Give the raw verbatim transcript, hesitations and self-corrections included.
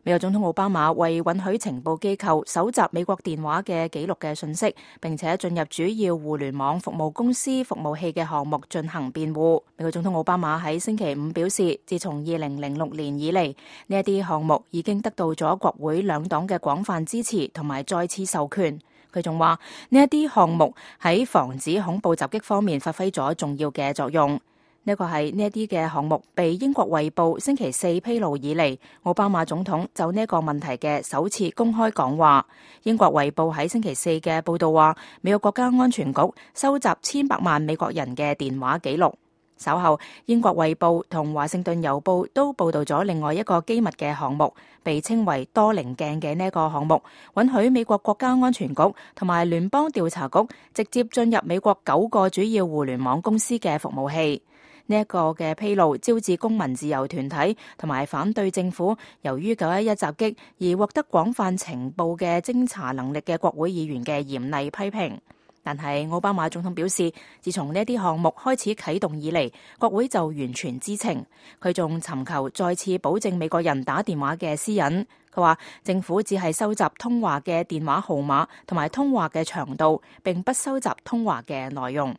美國總統奧巴馬為允許情報機構搜集美國電話嘅記錄嘅信息，並且進入主要互聯網服務公司服務器嘅項目進行辯護。美國總統奧巴馬喺星期五表示，自從二零零六年以嚟，呢一啲項目已經得到咗國會兩黨嘅廣泛支持同埋再次授權。佢仲話呢一啲項目喺防止恐怖襲擊方面發揮咗重要嘅作用。呢個係呢一啲嘅項目被英國衛報星期四披露以嚟，奧巴馬總統就呢一個問題嘅首次公開講話。英國衛報喺星期四嘅報道話，美國國家安全局收集千百萬美國人嘅電話記錄。稍後，英國衛報同華盛頓郵報都報道咗另外一個機密嘅項目，被稱為多棱鏡嘅呢一個項目，允許美國國家安全局同埋聯邦調查局直接進入美國九個主要互聯網公司嘅服務器。呢一個嘅披露招致公民自由團體同埋反對政府由於九一一襲擊而獲得廣泛情報嘅偵查能力嘅國會議員嘅嚴厲批評。但係奧巴馬總統表示，自從呢一啲項目開始啟動以嚟，國會就完全知情。佢仲尋求再次保證美國人打電話嘅私隱。佢話政府只係收集通話嘅電話號碼同埋通話嘅長度，並不收集通話嘅內容。